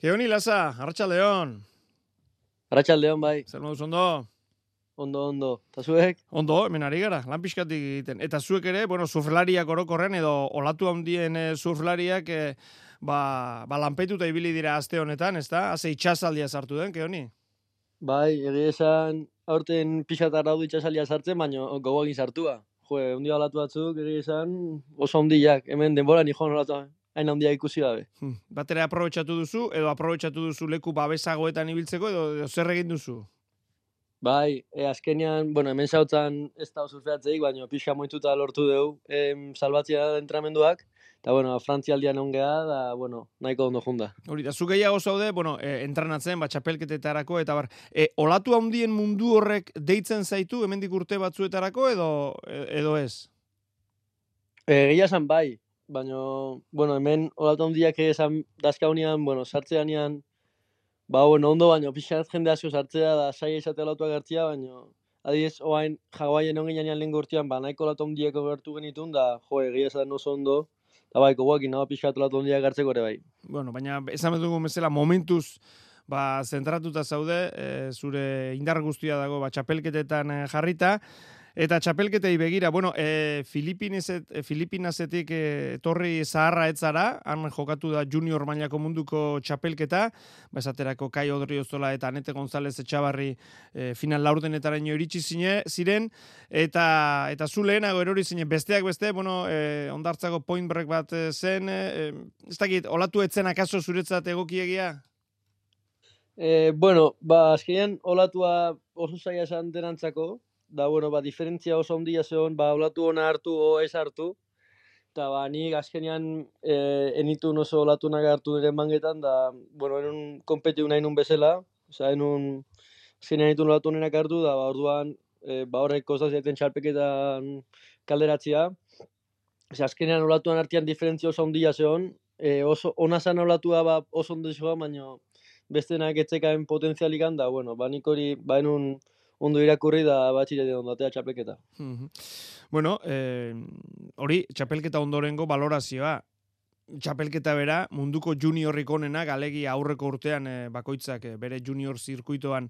Keoni Laza, Arratsaldeon. Arratsaldeon bai. Zer moduz ondo? Ondo. Ta zuek? Ondo, hemen ari gara, lan pixkatik egiten. Eta zuek ere, surflariak orokorren edo olatu handien surflariak lanpetuta ibili dira aste honetan, ezta? Haze itxasaldia sartu den, Keoni? Bai, egia esan aurten pixat arraudu itxasalia sartzen, baina gogoagin sartua. Ondia olatu batzuk, egia esan oso ondiak. Hemen denbora ni joan olatu hain ondia ikusi gabe. Batera aprobetxatu duzu, edo aprobetxatu duzu leku babesagoetan ibiltzeko, edo zer egin duzu? Bai, azkenean, hemen zautzen ez da surfeatzeik, baina pixa moituta lortu dugu salbatzea entramenduak. Eta, Frantzialdian ongea, da, nahiko ondo junda. Hori, da, zu gehiago zaude, entrenatzen, txapelketetarako, eta olatu handien mundu horrek deitzen zaitu, hemendik urte batzuetarako, edo ez? Egia esan bai, baina, hemen olatu handiak esan dazkaunean, sartzeanean, ondo, baina pixat jende asko sartzea da saia izatea olatuak gertzea, baina adiez, oain Hawaien onginean lehen gurtian, nahiko olatu handieko gertu genitun, da, egia esan oso ondo, eta bai, koguakin, pixat olatu handiak gertzeko ere bai. Baina, esan dugu bezala, momentuz, zentratuta zaude, zure indar guztia dago, txapelketetan jarrita, eta txapelketei begira, Filipinasetik etorri zaharra etzara, han jokatu da junior mailako munduko txapelketa, esaterako Kai Odriozola eta Anete González Etxabarri final laurdenetaraino iritsi ziren, eta zu lehenago erori zinen, besteak beste, ondartzako point break bat zen, ez dakit, olatu etzen akaso zuretzat egokiegia? Azkenean olatua oso zaila esan denantzako, da, diferentzia oso ondia zeon, olatu ona hartu o ez hartu, eta, nik azkenean enitun oso olatunak hartu diren mangetan, da, enun kompetiu nahi nun bezala, azkenean enitun olatu honenak hartu, da, orduan, horrek kostaz jaiten txalpeketan kalderatzea, azkenean olatuan artean diferentzia oso ondia zeon, oso ona zan olatua oso ondo zegoa, baina bestenak etzekaen potentzialikan, da, nik hori, enun ondo irakurri da batxirete ondatea txapelketa. Hori, txapelketa ondorengo valorazioa. Txapelketa bera, munduko juniorrik onenak, alegi aurreko urtean bakoitzak bere junior zirkuitoan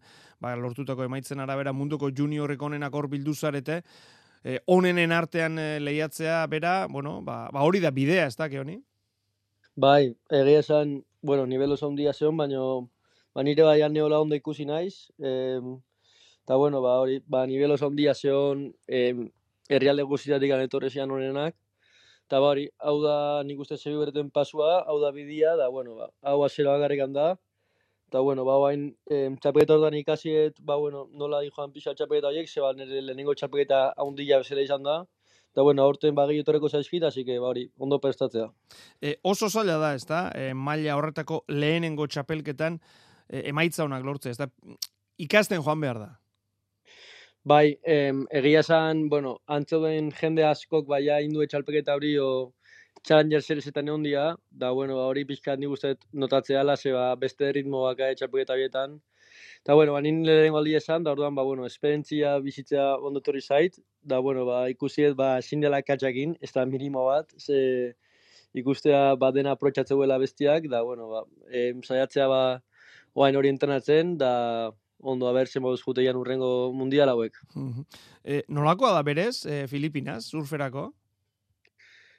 lortutako emaitzen arabera, munduko juniorrik onenak hor bildu zarete, onenen artean lehiatzea bera, hori da bidea, ez da, Keoni? Bai, egia esan, nivel oso ondia zeon, baina nire baian neola ondo ikusi naiz, eta, hori, nivel oso ondia zeon herrialde guztietatik anetorrezian honenak, eta, hori, hau da nik uste zegi bereten pasua, hau da bidia, da, hau azera bakarrikan da, eta, hain txapeleta ordan ikasiet, nola di joan pixa txapeleta horiek, zeba nire lehenengo txapeleta handia bezala izan da, eta, aurten gehiatoreko zaizkit, hasi que, hori, ondo prestatzea. Oso zaila da, ez da, maila horretako lehenengo txapelketan emaitza honak lortzea, ez da, ikasten joan behar da. Bai, egia esan, antzeuden jende askok baia indue txalpeketa hori o Challenger Seriesetan egon dira, da, hori pixkat nik usteet notatzea ala, zeba beste ritmo baka txalpeketa horietan. Eta, nien lehenengo aldi esan, da, orduan, esperientzia bizitzea ondotorri zait, da, ikusiet, ezin dela katxakin, ez da minimo bat, ze ikustea dena aprotxatzeuela bestiak, da, saiatzea oain hori entrenatzen, da, ondo abertzen moduz juteian urrengo mundial hauek. Nolakoa da berez, Filipinas, surferako?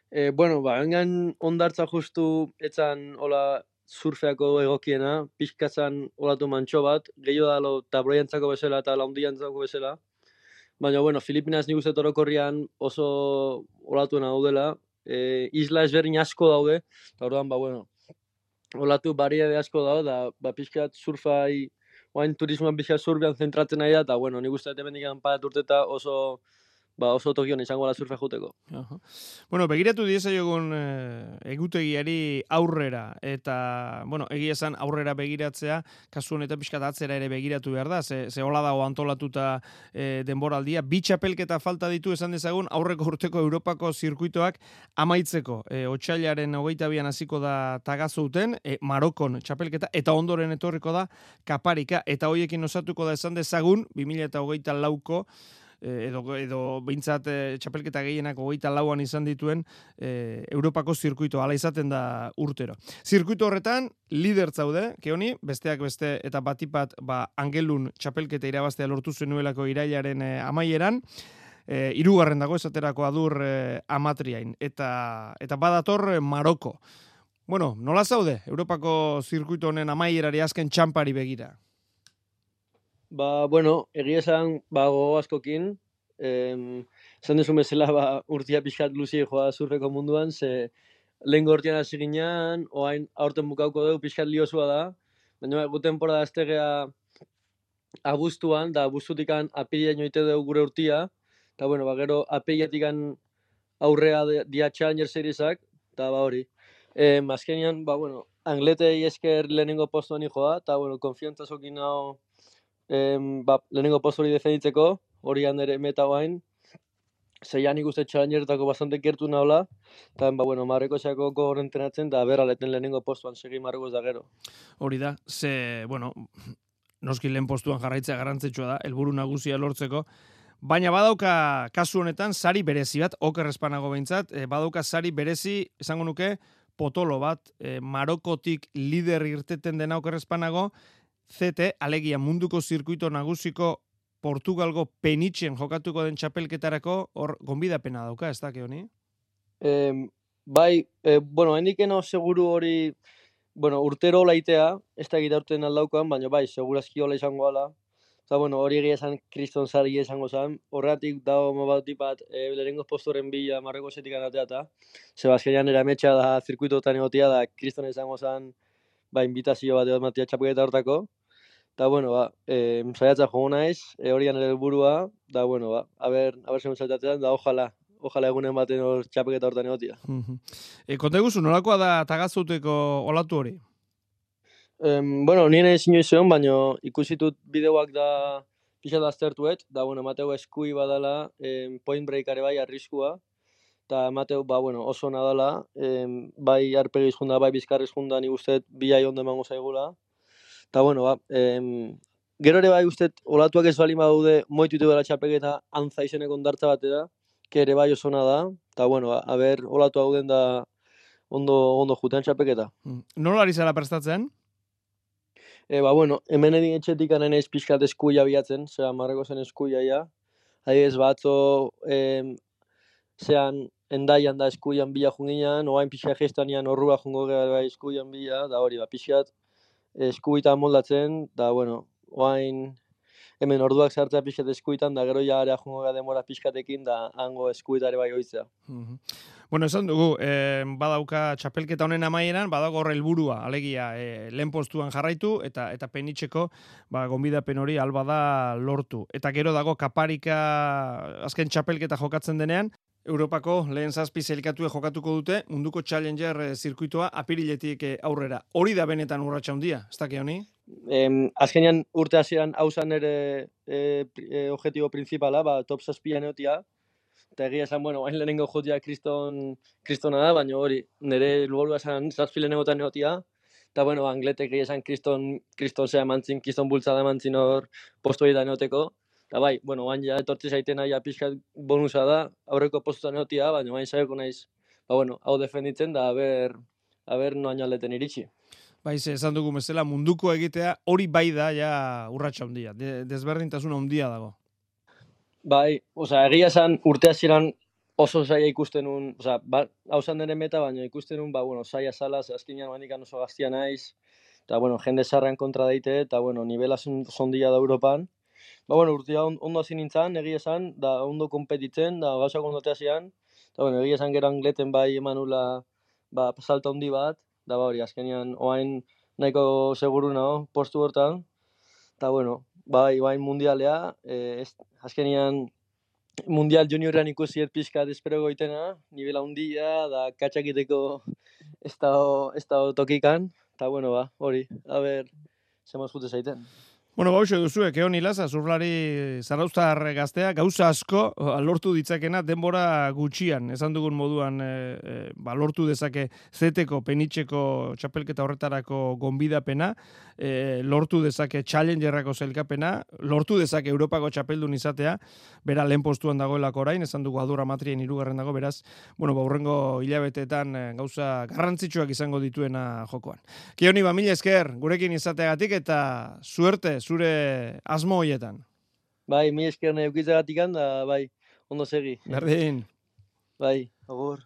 Engan ondartza justu etzan hola surfeako egokiena, pixkatzan olatu mantxo bat, gehiago dalo tabloiantzako bezala eta laundiantzako bezala. Baina, Filipinas nik uste orokorrian oso olatuen daudela, isla ezberdin asko daude, eta orduan, olatu bariade asko daude, da, pixkat surfai, oain turismoan pixkat surfean zentratzen nahi da, eta, nik uste hemendik parat urteta oso tokion izango la surfea juteko. Begiratu diezaiogun egutegiari aurrera, eta, egia esan aurrera begiratzea, kasu honetan pixkat atzera ere begiratu behar da, ze hola dago antolatuta denboraldia, bi txapelketa falta ditu esan dezagun aurreko urteko Europako zirkuitoak amaitzeko. Otsailaren 22an hasiko da Tagazouten, Marokon txapelketa, eta ondoren etorriko da Kaparika, eta hoiekin osatuko da esan dezagun, 2024ko edo behintzat txapelketa gehienak 24an izan dituen Europako zirkuito hala izaten da urtero. Zirkuito horretan lider zaude, Keoni, besteak beste eta batipat Angelun txapelketa irabaztea lortu zenuelako irailaren amaieran, hirugarren dago esaterako adur Amatriain, eta badator Maroko. Bueno, nola zaude Europako zirkuito honen amaierari azken txampari begira? Bueno, egia esan, gogo askokin, esan desun bezala, urtia pixkat luzi joa zurreko munduan, ze lehen gortian hasi ginean, oain aurten bukauko dugu pixkat liozua da, baina gu temporada aztegea abuztuan, da abuztutikan apiria joite dugu gure urtia, eta gero apiriatikan aurrea dia Challenger Seriesak, eta hori. Azkenean, Angletei esker lehenengo postuan joa, eta konfiantza zokin hau lehenengo postu hori defenditzeko, hori handere meta guain, zeian ikuste Challengertako bastante kertu nahola, eta Marreko esako gogor entrenatzen, da berraleten lehenengo postuan segi Marrekos da gero. Hori da, noski lehen postuan jarraitzea garrantzitsua da, helburu nagusia lortzeko, baina badauka kasu honetan sari berezi bat, oker espanago behintzat, badauka sari berezi, esango nuke, potolo bat, Marokotik lider irteten dena oker espanago, CT, alegia munduko zirkuito nagusiko Portugalgo penitxen jokatuko den txapelketarako hor gonbidapena dauka, ez da, Keoni? Hendikeno seguru hori, urtero laitea, ez da egitea urten aldaukan, baina segurazki hola izango ala. Eta hori egia esan kriston zari izango zen, horretik dago mobatipat lehenengo postoren bila Marreko zetik anatea eta Sebazkenian erametxa da zirkuitotan egotia da kriston izango zen invitazio bat egotia txapelketa hortako. Eta, saiatza jogo naiz, horian ere helburua, da, haber zegoen saltatzen, da, ojalá egunen baten hor txapelketa hortan egotia. Konta eguzu, nolakoa da tagazuteko olatu hori? Nien ezin joizeon, baina ikusitut bideoak da pixat aztertuet, da, Mateo eskui badala, point breakare bai arriskua, eta Mateo, oso nadala, bai arpegiz junda, bai bizkarriz junda, nik usteet bilai ondo emango zaigula. Eta, gero ere bai usteet, olatuak ez bali badaude, moitutu dela txapelketa antza izeneko ondartza batera, que ere bai osona da, eta, haber olatu hauden da ondo jutean txapelketa. Nola ari zara prestatzen? Hemen edin etxetik anen ez pixkat eskuia biatzen, Marreko zen eskuia ja. Adibidez batzo, zean endaian da eskuian bila junginan, oain pixka gestanian horrua jungo gara eskuian bila, da hori, pixkat eskuitan moldatzen, da, oain hemen orduak zartzea pixkat eskuitan, da gero ja area jungo gara demora pixkatekin, da hango eskuitare bai oitzea. Esan dugu, badauka txapelketa honen amaieran, badago hor helburua, alegia, lehen postuan jarraitu, eta penitxeko, gonbidapen hori alba da lortu. Eta gero dago kaparika azken txapelketa jokatzen denean, Europako lehen zazpi zelikatue jokatuko dute, munduko Challenger zirkuitoa apiriletik aurrera. Hori da benetan urratsa handia, ez da, Keoni? Azkenean urte hasieran hausan ere objetibo principala, top zazpian egotia, eta egia esan, hain lehenengo jotia kristona da, baina hori, nire lubolua esan zazpi lehenengotan egotia, eta Angletek egia esan kriston zea emantzin, kriston bultzada emantzin hor postu egiten egoteko, eta hain ja etortzi zaiten aia pixkat bonusa da, aurreko postutan egotia, baina hain saioko naiz, hau defenditzen da, haber noaino aldeten iritsi. Esan dugu bezala, munduko egitea hori bai da ja urratsa handia, desberdintasun handia dago. Egia esan urte hasieran oso zaila ikusten un, hau zan denen meta, baina ikusten un, zaila zala, azkenean manikan oso gaztia naiz, eta, jende zarran kontra daite, eta, nivela zondia da Europan. Urtea ondo hasi nintzen, egia esan, da ondo kompetitzen, da gauzak ondo teazian, eta, egia esan gero Angleten bai emanula, salta handi bat, da, hori, azkenean, oain nahiko seguru nago, postu hortan, eta, bai mundialea, azkenean mundial juniorrean ikusi pixkat espero goitena, nivela handia, da katxakiteko ez da tokikan, eta hori, haber, zemoz jute zaiten. Bueno, bauxo duzu, Keon Ilaza, surflari zarauztar gaztea, gauza asko lortu ditzakena denbora gutxian, esan dugun moduan lortu dezake zeteko, penitxeko txapelketa horretarako gonbidapena, lortu dezake challengerrako zelkapena, lortu dezake Europako txapeldun izatea, bera lehen postuan dagoelako orain, esan dugu Adurra Matrien 3. dago, beraz, bueno, hurrengo hilabeteetan gauza garrantzitsuak izango dituena jokoan. Keoni, mila esker, gurekin izateagatik eta suerte zure asmo hoietan. Bai, mila esker nahi eukitzagatik da, bai, ondo segi. Berdin. Bai, agur.